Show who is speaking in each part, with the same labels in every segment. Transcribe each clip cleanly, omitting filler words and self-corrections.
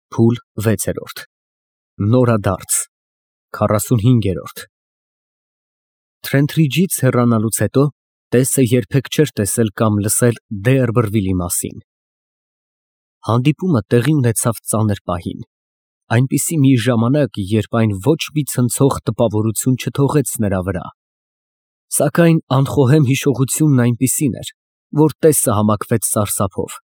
Speaker 1: Փուլ 6 Նորադարձ 45 Թրենթրիջից հեռանալուց հետո Տեսը երբեք չէր տեսել կամ լսել Դեարբրվիլի մասին։ Հանդիպումը տեղի ունեցավ ծանր պահին, այնպիսի մի ժամանակ, երբ այն ոչ մի ցնցող տպավորություն չթողեց նրա վրա։ Սակայն անխոհեմ հիշողությունն այնպիսին էր, որ Տեսը համակվեց սարսափով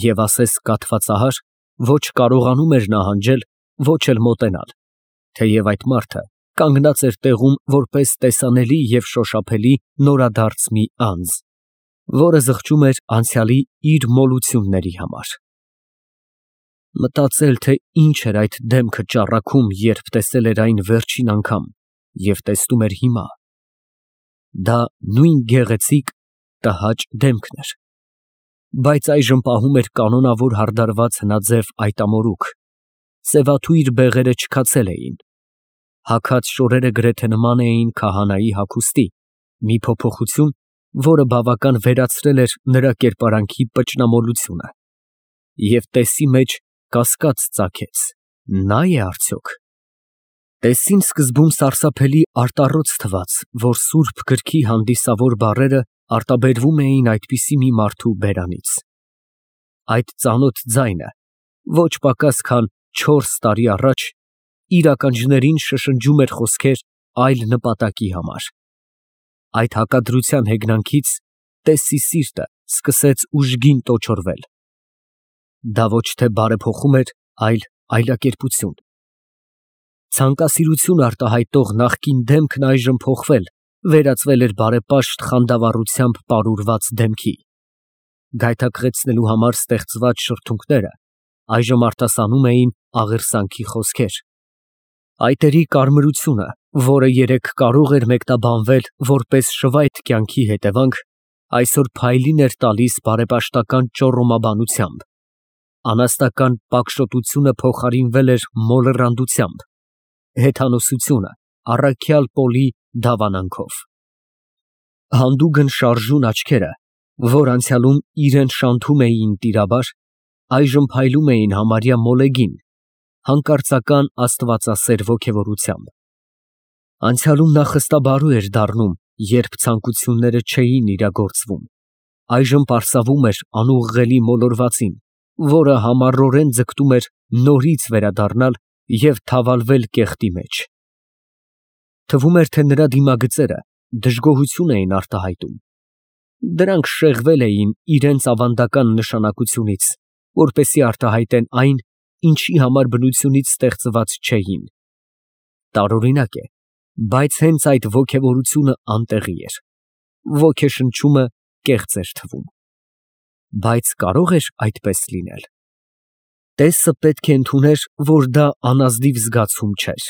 Speaker 1: և ասես կաթվածահար ոչ կարողանում էր նահանջել, ոչ էլ մոտենալ, թեև այդ մարդը կանգնած էր տեղում որպես տեսանելի և շոշափելի նորադարձ մի անձ, որը զղջում էր անցյալի իր մոլությունների համար։ Մտածել, թե ինչ էր այդ դեմքը ճառագում, երբ տեսել էր այն վերջին անգամ և տեսնում էր հիմա, դա նույն գեղեցիկ, տհաճ դեմքն էր, բայց այժմ պահում էր կանոնավոր հարդարված հնաձև այտամորուք, սևաթույր բեղերը չքացել էին, հագած շորերը գրեթե նման էին քահանայի հագուստի, մի փոփոխություն, որը բավական վերացրել էր նրա կերպարանքի պճնամոլությունը, և Տեսի մեջ կասկած ծագեց. նա է արդյոք։ Տեսին սկզբում սարսափելի արտառոց թվաց, որ սուրբ գրքի հանդիսավոր բառերը արտաբերվում էին այդպիսի մի մարդու բերանից։ Այդ ծանոթ ձայնը ոչ պակաս քան 4 տարի առաջ իր ականջներին շշնջում էր խոսքեր այլ նպատակի համար։ Այդ հակադրության հեգնանքից Տեսի սիրտը սկսեց ուժգին տոչորվել։ Դա ոչ թե բարեփոխում էր, այլ այլակերպություն։ Ցանկասիրություն արտահայտող նախկին դեմքն այժմ փոխվել, վերածվել էր բարեպաշտ խանդավառությամբ պարուրված դեմքի։ Գայթակղեցնելու համար ստեղծված շրթունքները այժմ արտասանում էին աղերսանքի խոսքեր։ Այտերի կարմրությունը, որը երեկ կարող էր մեկնաբանվել որպես շվայտ կյանքի հետևանք, այսօր փայլին էր տալիս բարեպաշտական ճոռոմաբանությամբ, անաստական պակշոտությունը փոխարինվել էր մոլեռանդությամբ, հեթանոսությունը առաքյալ Պոլի դավանանքով։ Հանդուգն շարժուն աչքերը, որ անցյալում իրան շանթում էին տիրաբար, այժմ փայլում էին համարյա մոլեգին, հանկարծական աստվածասեր ոգևորությամբ։ Անցյալում նա խստաբարու էր դառնում, երբ ցանկությունները չէին իրագործվում, այժմ պարսավում էր անուղղելի մոլորվածին, որը համառորեն ձգտում էր նորից վերադառնալ և թավալվել կեղտի մեջ։ Թվում էր, թե նրա դիմագծերը դժգոհություն էին արտահայտում։ Դրանք շեղվել էին իրենց ավանդական նշանակությունից, որպեսզի արտահայտեն այն, ինչի համար բնությունից ստեղծված չէին։ Տարօրինակ է, բայց հենց այդ ոգևորությունը անտեղի էր։ Ոգեշնչումը կեղծ էր թվում։ Բայց կարո՞ղ էր այդպես լինել։ Տեսը պետք է ընդուներ, որ դա անազնիվ զգացում չէր։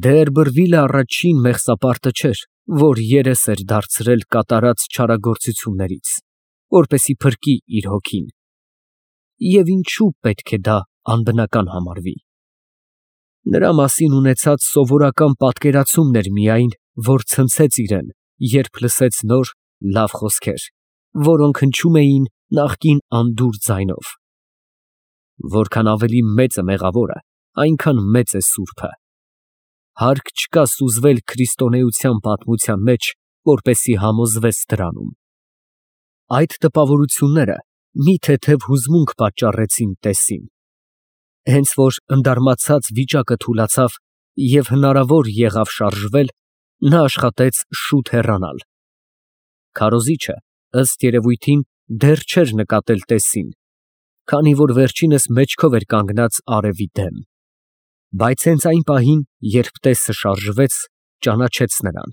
Speaker 1: Դեարբրվիլը առաջին մեղսապարտը չէր, որ երես էր դարձրել կատարած չարագործություններից, որպեսզի փրկի իր հոգին։ Եվ ինչու պետք է դա անբնական համարվի։ Նրա մասին ունեցած սովորական պատկերացումն էր միայն, որ ցնցեց իրան, երբ լսեց նոր, լավ խոսքեր, որոնք հնչում էին նախկին անդուր ձայնով։ Որքան ավելի մեծ է մեղավորը, այնքան մեծ է սուրբը։ Հարկ չկա սուզվել քրիստոնեության պատմության մեջ, որպեսզի համոզվես դրանում։ Այդ տպավորությունները մի թեթև հուզմունք պատճառեցին Տեսին։ Հենց որ ընդարմացած վիճակը թուլացավ և հնարավոր եղավ շարժվել, նա աշխատեց շուտ հեռանալ։ Քարոզիչը, ըստ երևույթին, դեռ չէր նկատել Տեսին, քանի որ վերջինս մեջքով էր կանգնած արևի դեմ։ Բայց հենց այն պահին, երբ Տեսը շարժվեց, ճանաչեց նրան։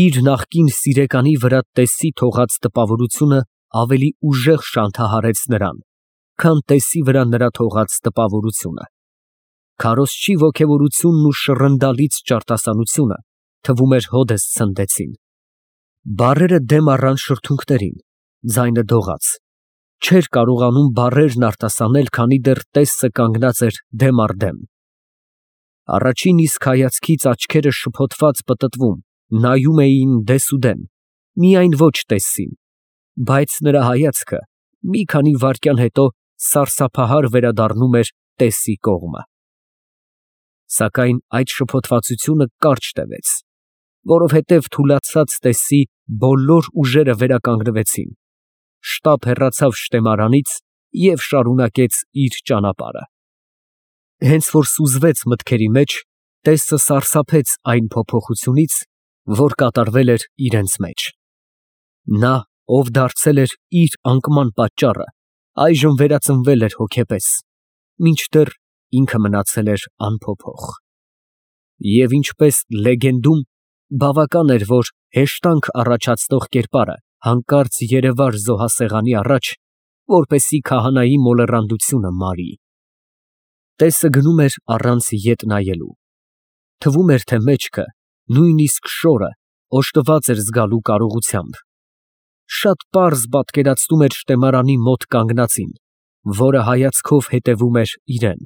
Speaker 1: Իր նախկին սիրեկանի վրա Տեսի թողած տպավորությունը ավելի ուժեղ շանթահարեց նրան, քան Տեսի վրա նրա թողած տպավորությունը։ Քարոզչի ոգևորությունն ու շռնդալից ճարտասանությունը, թվում էր, հօդս ցնդեցին։ Բառերը դեմ առան շրթունքներին, ձայնը դողաց։ Չէր կարողանում բառերն արտասանել, քանի դեռ Տեսը կանգնած էր դեմ առ դեմ։ Առաջին իսկ հայացքից աչքերը շփոթված պտտվում, նայում էին դեսուդեն, միայն ոչ Տեսին, բայց նրա հայացքը մի քանի վայրկյան հետո սարսափահար վերադառնում էր Տեսի կողմը։ Սակայն այդ շփոթվածությունը կարճ տևեց, որովհետև թուլացած Տեսի բոլոր ուժերը վերականգնվեցին, շտապ հեռացավ շտեմարանից և շարունակեց իր ճանապարհը։ Հենց որ սուզվեց մտքերի մեջ, Տեսը սարսափեց այն փոփոխությունից, որ կատարվել էր իրենց մեջ։ Նա, ով դարձել էր իր անկման պատճառը, այժմ վերածնվել էր հոգեպես, մինչդեռ ինքը մնացել էր անփոփոխ։ Եվ ինչպես լեգենդում, բավական էր, որ հեշտանք առաջացնող կերպարը հանկարծ երևար զոհասեղանի առաջ, որպեսզի քահանայի մոլեռանդությունը մարի։ Տեսը գնում էր առանց ետ նայելու։ Թվում էր, թե մեջքը, նույնիսկ շորը, օժտված էր զգալու կարողությամբ։ Շատ պարզ պատկերացնում էր շտեմարանի մոտ կանգնածին, որը հայացքով հետևում էր իրան։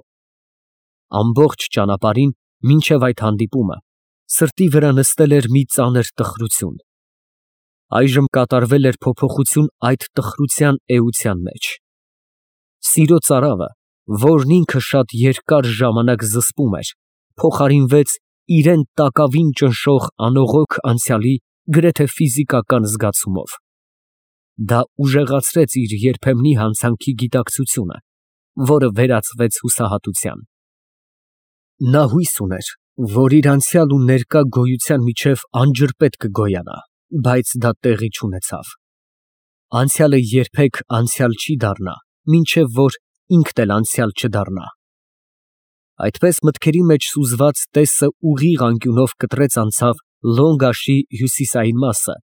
Speaker 1: Ամբողջ ճանապարհին, մինչև այդ հանդիպումը, սրտի վրա նստել էր մի ծանր տխրություն։ Այժմ կատարվել էր փոփոխություն այդ տխրության էության մեջ։ Սիրո ծարավը, որն ինքը շատ երկար ժամանակ զսպում էր, փոխարինվեց իրան տակավին ճնշող անողոք անցյալի գրեթե ֆիզիկական զգացումով։ Դա ուժեղացրեց իր երբեմնի հանցանքի գիտակցությունը, որը վերածվեց հուսահատության։ Նա հույս ուներ, որ իր անցյալ ու ներկա գոյության միջև անջրպետ կգոյանա, բայց դա տեղի չունեցավ։ Անցյալը երբեք անցյալ չի դառնա, մինչև որ ինքն էլ անցյալ չդառնա։ Այդպես մտքերի մեջ սուզված Տեսը ուղիղ անկյունով կտրեց անցավ Լոնգաշի հյուսիսային մասը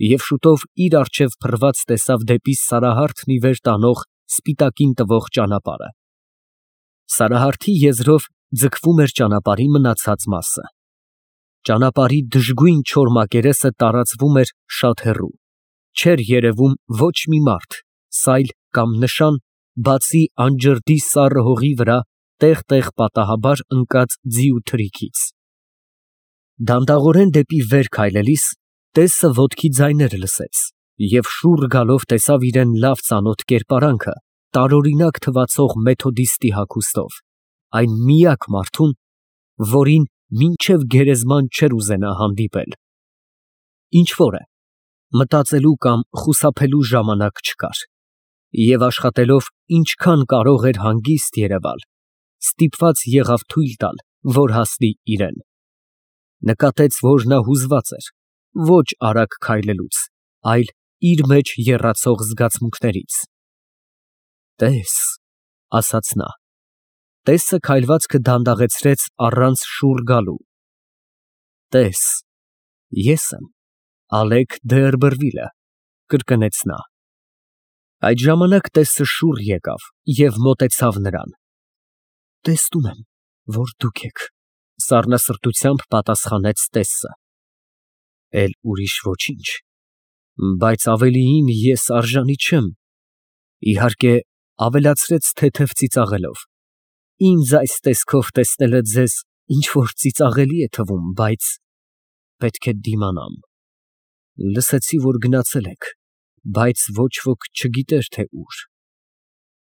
Speaker 1: և շուտով իր առջև փռված տեսավ դեպի Սարահարթն ի վեր տանող սպիտակին տվող ճանապարհը։ Սարահարթի եզրով ձգվում էր ճանապարհի մնացած մասը։ Ճանապարհի դժգույն չոր մակերեսը տարածվում էր շատ հեռու, չէր երևում ոչ մի մարդ, սայլ կամ նշան, բացի անջրդի սառը հողի վրա տեղ֊տեղ պատահաբար ընկած ձի ու թրիքից։ Դանդաղորեն դեպի վեր քայլելիս Տեսը ոտքի ձայներ լսեց և շուռ գալով տեսավ իրան լավ ծանոթ կերպարանքը տարօրինակ թվացող մեթոդիստի հագուստով, այն միակ մարդուն, որին մինչև գերեզման չէր ուզենա հանդիպել։ Ինչ֊որ է, մտածելու կամ խուսափելու ժամանակ չկար, և աշխատելով ինչքան կարող էր հանգիստ երևալ, ստիպված եղավ թույլ տալ, որ հասնի իրան։ Նկատեց, որ նա հուզված էր, ոչ արագ քայլելուց, այլ իր մեջ եռացող զգացմունքներից։ «Տես», ասաց նա։ Տեսը քայլվածքը դանդաղեցրեց առանց շուռ գալու։ «Տես, ես եմ Ալեկ Դ'Երբերվիլը», կրկնեց նա։ Այդ ժամանակ Տեսը շուռ եկավ և մոտեցավ նրան։ «Տեսնում եմ, որ դուք եք», սառնասրտությամբ պատասխանեց Տեսը։ «Էլ ուրիշ ոչինչ, բայց ավելիին ես արժանի չեմ», իհարկե, ավելացրեց թեթև ծիծաղելով։ «Ինձ այս տեսքով տեսնելը ձեզ ինչ֊որ ծիծաղելի է թվում, բայց պետք է դիմանամ։ Լսեցի, որ գնացել եք, բայց ոչ ոք չգիտեր, թե ուր։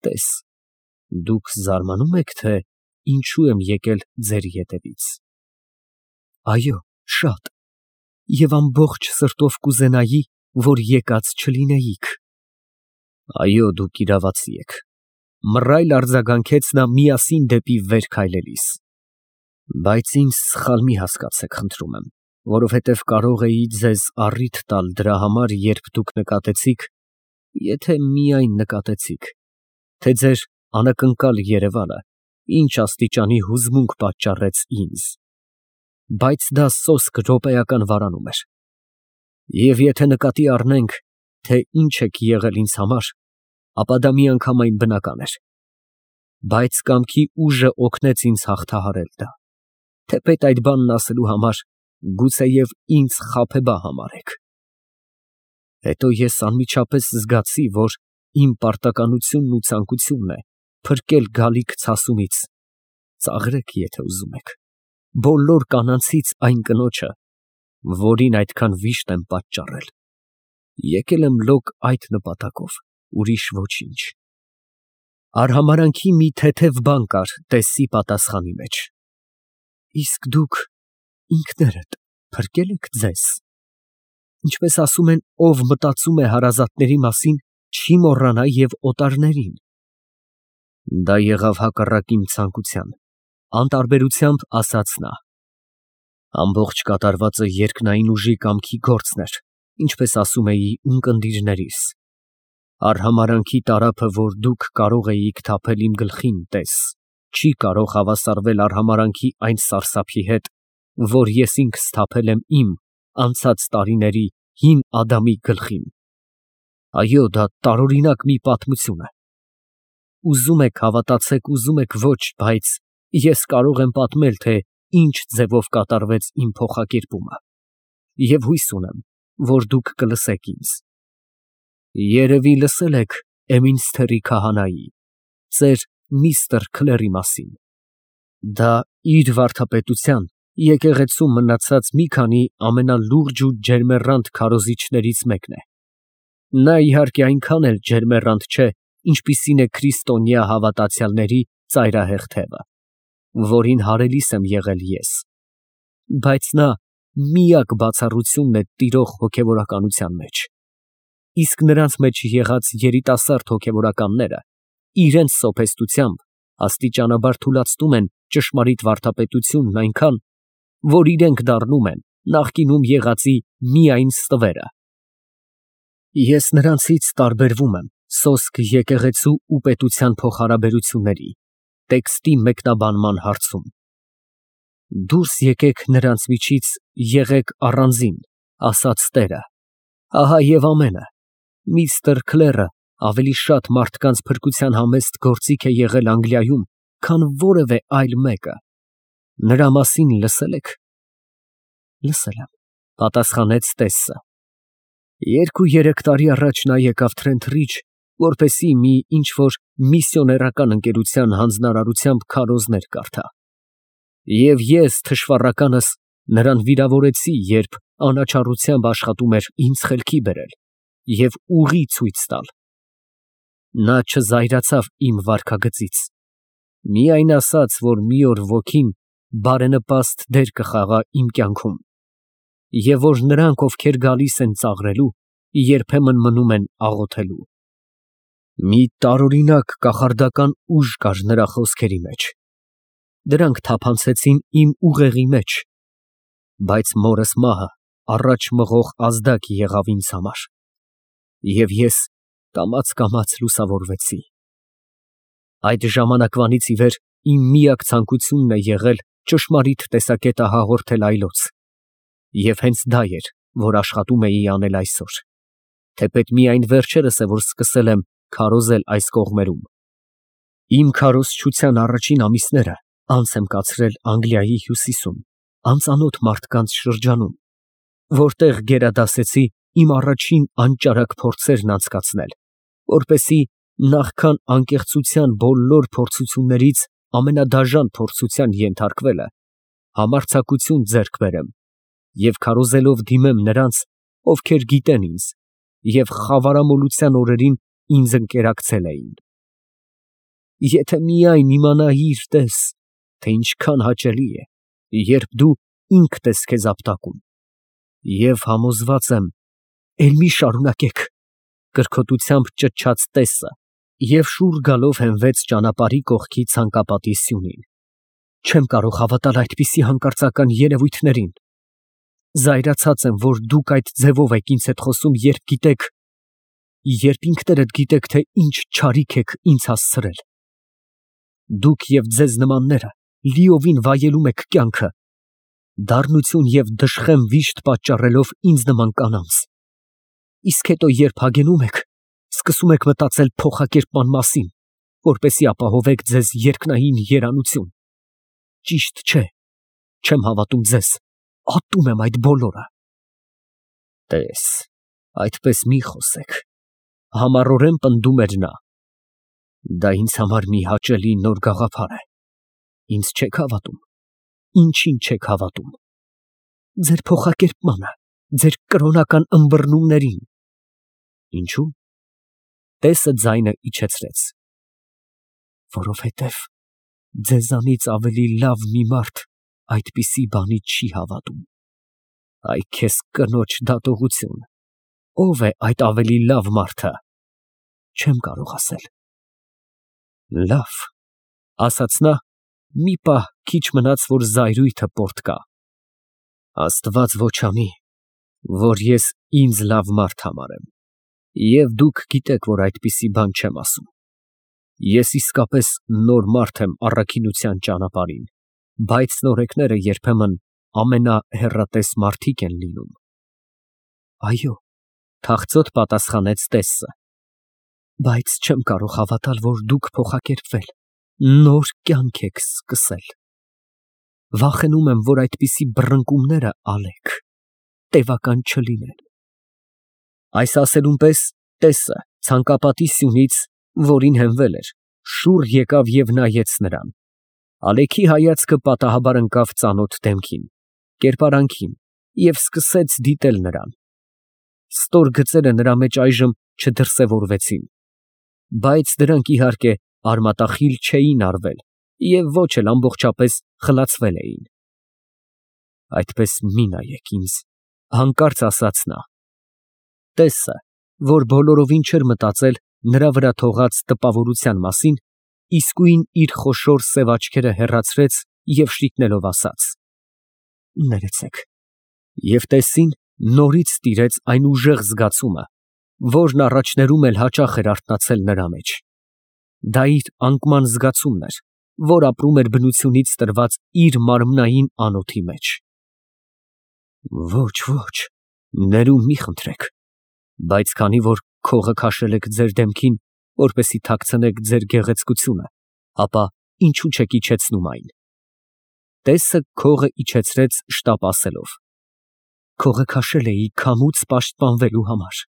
Speaker 1: Տես, դուք զարմանում եք, թե ինչու եմ եկել ձեր ետևից։ Այո, շատ, և ամբողջ սրտով կուզենայի, որ եկած չլինեիք։ Այո, դուք իրավացի եք, մռայլ արձագանքեց նա միասին դեպի վեր քայլելիս։ Բայց ինձ սխալ մի հասկացեք, խնդրում եմ, որովհետև կարող էի ձեզ առիթ տալ դրա համար, երբ դուք նկատեցիք, եթե միայն նկատեցիք, թե ձեր անակնկալ երևալը ինչ աստիճանի հուզմունք պատճառեց ինձ։ Բայց դա սոսկ րոպեական վարանում էր։ Եվ եթե նկատի առնենք, թե ինչ եք եղել ինձ համար, ապա դա միանգամայն բնական էր։ Բայց կամքի ուժը օգնեց ինձ հաղթահարել դա, թեպետ այդ բանն ասելու համար գուցեև ինձ խաբեբա համարեք։ Հետո ես անմիջապես զգացի, որ իմ պարտականությունն ու ցանկությունն է փրկել գալիք ցասումից, ծաղրեք, եթե ուզում եք, բոլոր կանանցից այն կնոջը, որին այդքան վիշտ եմ պատճառել։ Եկել եմ լոկ այդ նպատակով, ուրիշ ոչինչ։ Արհամարանքի մի թեթև բան կար տեսի պատասխանի մեջ։ Իսկ դուք ինքներդ փրկե՞լ եք ձեզ։ Ինչպես ասում են, ով մտածում է հարազատների մասին, չի մոռանա և օտարներին։ Դա եղավ հակառակ իմ ցանկության, անտարբերությամբ ասաց նա։ Ամբողջ կատարվածը երկնային ուժի կամքի գործն էր, ինչպես ասում էի ունկնդիրներիս։ Արհամարանքի տարափը, որ դուք կարող էիք թափել իմ գլխին, տես, չի կարող հավասարվել արհամարանքի այն սարսափի հետ, որ ես ինքս թափել եմ իմ անցած տարիների հին Ադամի գլխին։ Այո, դա տարօրինակ մի պատմություն է։ Ուզում եք հավատացեք, ուզում եք ոչ, բայց ես կարող եմ պատմել, թե ինչ ձևով կատարվեց իմ փոխակերպումը, և հույս ունեմ, որ դուք կլսեք ինձ։ Երևի լսել եք Էմինսթերի քահանայի, ծեր միստր Քլերի մասին։ Դա իր վարդապետության եկեղեցում մնացած մի քանի ամենալուրջ ու ջերմեռանդ քարոզիչներից մեկն է։ Նա իհարկե այնքան էլ ջերմեռանդ չէ, ինչպիսին է քրիստոնյա հավատացյալների ծայրահեղ թևը, որին հարելիս եմ եղել ես, բայց նա միակ բացառությունն է տիրող հոգևորականության մեջ։ Իսկ նրանց մեջ եղած երիտասարդ հոգևորականները իրենց սոփեստությամբ աստիճանաբար թուլացնում են ճշմարիտ վարդապետությունն այնքան, որ իրենք դառնում են նախկինում եղածի միայն ստվերը։ Ես նրանցից տարբերվում եմ սոսկ եկեղեցու ու պետության փոխհարաբերությունների, տեքստի մեկնաբանման հարցում։ Դուրս եկեք նրանց միջից, եղեք առանձին, ասաց Տերը, ահա և ամենը։ Միստր Քլերը ավելի շատ մարդկանց փրկության համեստ գործիք է եղել Անգլիայում, քան որևէ այլ մեկը։ Նրա մասին լսել եք։ Լսել եմ, պատասխանեց Տեսսը։ 2-3 տարի առաջ նա եկավ Թրենթրիջ, որպեսզի մի ինչ-որ միսիոներական ընկերության հանձնարարությամբ քարոզներ կարդա։ Եվ ես, թշվառականս, նրան վիրավորեցի, երբ անաչառությամբ աշխատում էր ինձ խելքի բերել և ուղի ցույց տալ։ Նա չզայրացավ իմ վարքագծից, միայն ասաց, որ մի օր ոգին բարենպաստ դեր կխաղա իմ կյանքում, և որ նրանք, ովքեր գալիս են ծաղրելու, երբեմն մնում են աղոթելու։ Մի տարօրինակ կախարդական ուժ կար նրա խոսքերի մեջ, դրանք թափանցեցին իմ ուղեղի մեջ, բայց մորս մահը առաջ մղող ազդակ եղավ ինձ համար, և ես կամաց լուսավորվեցի։ Այդ ժամանակվանից ի վեր իմ միակ ցանկությունն է եղել ճշմարիտ տեսակետը հաղորդել այլոց, և հենց դա էր, որ աշխատում էի անել այսօր, թեպետ միայն վերջերս է, որ սկսել եմ քարոզել այս կողմերում։ Իմ քարոզչության առաջին ամիսները անց եմ կացրել Անգլիայի հյուսիսում, անծանոթ մարդկանց շրջանում, որտեղ գերադասեցի իմ առաջին անճարակ փորձերն անցկացնել, որպեսզի նախքան անկեղծության բոլոր փորձություններից ամենադաժան փորձության ենթարկվելը համարձակություն ձեռք բերեմ և քարոզելով դիմեմ նրանց, ովքեր գիտեն ինձ և խավարամոլության օրերին ինձ ընկերակցել էին։ Եթե միայն իմանայիր, տես, թե ինչքան հաճելի է, երբ դու ինքդ ես քեզ ապտակում, և համոզված եմ, էլ մի շարունակեք, կրքոտությամբ ճչաց Տեսսը և շուռ գալով հենվեց ճանապարհի կողքի ցանկապատի սյունին։ Չեմ կարող հավատալ այդպիսի հանկարծական երևույթներին։ Զայրացած եմ, որ դուք այդ ձևով եք ինձ հետ խոսում, երբ ինքներդ գիտեք, թե ինչ չարիք եք ինձ հասցրել։ Դուք և ձեզ նմանները լիովին վայելում եք կյանքը, դառնություն և դժխեմ վիշտ պատճառելով ինձ նման կանանց։ Իսկ հետո, երբ հագենում եք, սկսում եք մտածել փոխակերպման մասին, որպեսզի ապահովեք ձեզ երկնային երանություն։ Ճիշտ չէ, չեմ հավատում ձեզ, ատում եմ այդ բոլորը։ Տես, այդպես մի խոսեք, համառորեն պնդում էր նա։ Դա ինձ համար մի հաճելի նոր գաղափար է։ Ինձ չեք հավատում։ Ինչին չեք հավատում։ Ձեր փոխակերպմանը, ձեր կրոնական ըմբռնումներին։ Ինչու՞։ Տեսը ձայնը իջեցրեց։ Որովհետև ձեզանից ավելի լավ մի մարդ այդպիսի բանի չի հավատում։ Այ քեզ կնոջ դատողություն։ Ո՞վ է այդ ավելի լավ մարդը։ Չեմ կարող ասել։ Լավ, ասաց նա, մի պահ քիչ մնաց, որ զայրույթը պոռթկա։ Աստված ոչ անի, որ ես ինձ լավ մարդ համարեմ, և դուք գիտեք, որ այդպիսի բան չեմ ասում։ Ես իսկապես նոր մարդ եմ առաքինության ճանապարհին, բայց նորեկները երբեմն ամենահեռատես մարդիկ են լինում։ Այո, թախծոտ պատասխանեց Տեսսը, բայց չեմ կարող հավատալ, որ դուք փոխակերպվել, նոր կյանք եք սկսել։ Վախենում եմ, որ այդպիսի բռնկումները ալեք, տևական չլինեն։ Այս ասելուն պես Տեսսը ցանկապատի սյունից, որին հենվել էր, շուռ եկավ և նայեց նրան։ Ալեքի հայացքը պատահաբար ընկավ ծանոթ դեմքին, կերպարանքին և սկսեց դիտել նրան։ Ստոր գծերը նրա մեջ այժմ չդրսևորվեցին, բայց դրանք, իհարկե, արմատախիլ չէին արվել և ոչ էլ ամբողջապես խլացվել էին։ Այդպես մի նայեք ինձ, հանկարծ ասաց նա։ Տեսսը, որ բոլորովին չէր մտածել նրա վրա թողած տպավորության մասին, իսկույն իր խոշոր սև աչքերը հեռացրեց և շիկնելով ասաց. Ներեցեք։ Եվ Տեսսին նորից տիրեց այն ուժեղ զգացումը, որն առաջներում էլ հաճախ էր արթնացել նրա մեջ։ Դա իր անկման զգացումն էր, որ ապրում էր բնությունից տրված իր մարմնային անոթի մեջ։ Ոչ, ոչ, ներում մի խնդրեք, բայց քանի որ քողը քաշել եք ձեր դեմքին, որպեսզի թաքցնեք ձեր գեղեցկությունը, ապա ինչու չեք իջեցնում այն։ Տեսսը քողը իջեցրեց շտապ ասելով. Քողը քաշել էի քամուց պաշտպանվելու համար։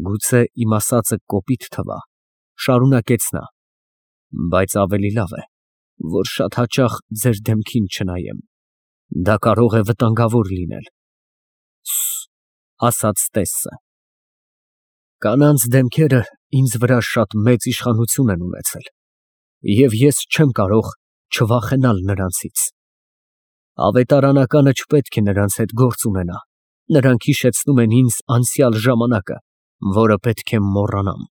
Speaker 1: Գուցե իմ ասածը կոպիտ թվա, շարունակեց նա, բայց ավելի լավ է, որ շատ հաճախ ձեր դեմքին չնայեմ, դա կարող է վտանգավոր լինել։ Ասաց Տեսսը։ Կանանց դեմքերը ինձ վրա շատ մեծ իշխանություն են ունեցել, և ես չեմ կարող չվախենալ նրանցից։ Ավետարանականը չպետք է նրանց հետ գործ ունենա, նրանք հիշեցնում են ինձ անցյալ ժամանակը, որը պետք է մոռանամ։